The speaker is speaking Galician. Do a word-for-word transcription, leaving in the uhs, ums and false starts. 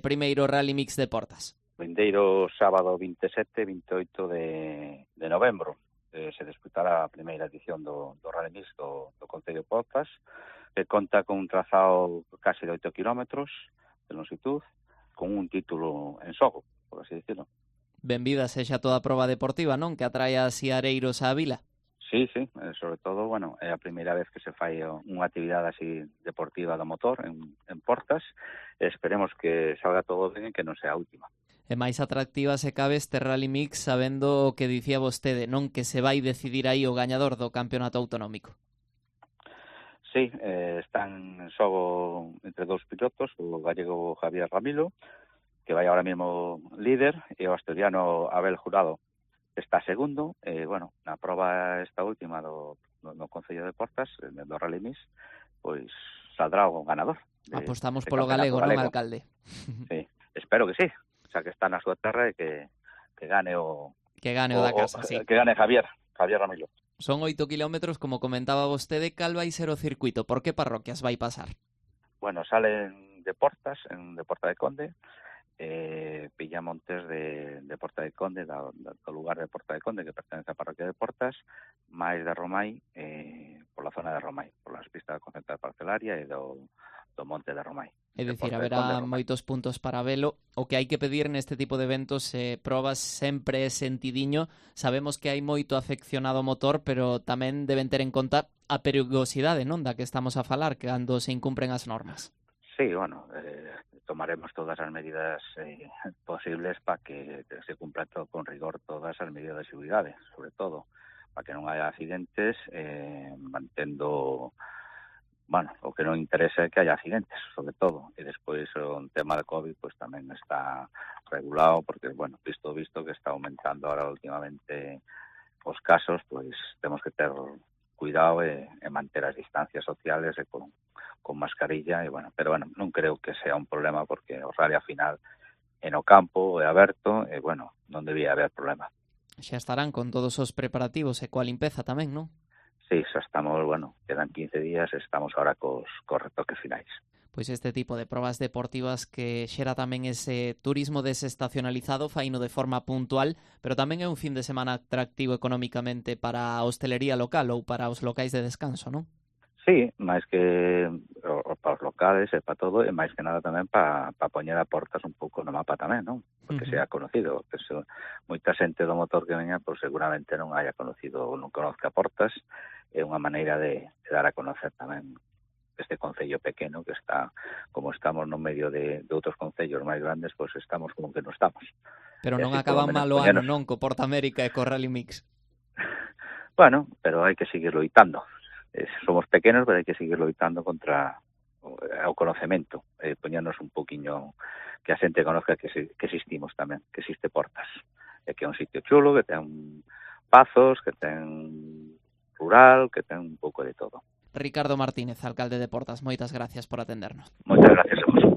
primeiro Rally Mix de Portas? Vindeiro sábado vinte e sete e vinte e oito de, de novembro eh, se disputará a primeira edición do, do Rally Mix do, do Concello de Portas, que conta con un trazado casi de oito kilómetros de longitud, con un título en xogo, por así decirlo. Benvida sexa toda a proba deportiva, non? Que atraia a siareiros á vila. Sí, sí, sobre todo, bueno, é a primeira vez que se fai unha actividade así deportiva do motor en, en Portas, e esperemos que salga todo ben e que non sea a última. É máis atractiva se cabe este Rally Mix sabendo o que dicía vostede, non? Que se vai decidir aí o gañador do campeonato autonómico. Sí, eh, están en xogo entre dous pilotos, o gallego Javier Ramilo, que vai ahora mesmo líder, e o asturiano Abel Jurado, que está segundo. E, eh, bueno, na proba esta última do, do, do Concello de Portas, do Rally Mix, pois saldrá o ganador. De, Apostamos polo galego, galego, non, alcalde? Sí, espero que sí, o sea, que está na súa terra e que, que gane o... Que gane o, o da casa, o, sí. Que gane Javier, Javier Ramilo. Son oito kilómetros, como comentaba vostede. Cal vai ser o circuito? Por que parroquias vai pasar? Bueno, salen de Portas, en de Porta de Conde, eh, Pillamontes de, de Porta de Conde, do, do lugar de Porta de Conde, que pertenece á parroquia de Portas, máis de Romai, eh, pola zona de Romai, polas pistas da concentrada parcelaria e do, do monte de Romai. É dicir, haberá moitos puntos para velo. O que hai que pedir neste tipo de eventos e eh, probas sempre é sentidiño. Sabemos que hai moito afeccionado ao motor, pero tamén deben ter en conta a perigosidade, non, da que estamos a falar, cando se incumpren as normas. Sí, bueno, eh, tomaremos todas as medidas eh, posibles para que se cumplan todo con rigor todas as medidas de seguridade, sobre todo, para que non haya accidentes, eh, mantendo... Bueno, o que non interesa é que haya accidentes, sobre todo, e despois o tema de COVID pues tamén está regulado, porque, bueno, visto visto que está aumentando ahora últimamente os casos, pois temos que ter cuidado e, e manter as distancias sociales e con, con mascarilla, e bueno, pero bueno, non creo que sea un problema, porque o rally a final en o campo é aberto, e bueno, non debía haber problema. Xa estarán con todos os preparativos e coa limpeza tamén, non? Sí, xa estamos, bueno, quedan quince días, estamos ahora cos, cos retoques finais. Pois este tipo de probas deportivas que xera tamén ese turismo desestacionalizado, faino de forma puntual, pero tamén é un fin de semana atractivo económicamente para a hostelería local ou para os locais de descanso, non? Sí, máis que o, para os locales e para todo, e máis que nada tamén para pa poñer a Portas un pouco no mapa tamén, non? Porque uh-huh. sea conocido, que se, moita xente do motor que veña, pois seguramente non haya conocido ou non conozca Portas, é unha maneira de, de dar a conocer tamén este concello pequeno que está, como estamos no medio de, de outros concellos máis grandes, pois estamos como que non estamos. Pero non acaban mal o ano, non, co Porta América e co Rally Mix. Bueno, pero hai que seguir loitando. Eh, somos pequenos, pero hai que seguir loitando contra o, o conocemento, eh, poñernos un poquinho, que a xente conozca que, se, que existimos tamén, que existe Portas, e que é un sitio chulo, que ten pazos, que ten rural, que ten un pouco de todo. Ricardo Martínez, alcalde de Portas, moitas gracias por atendernos. Moitas gracias a vos.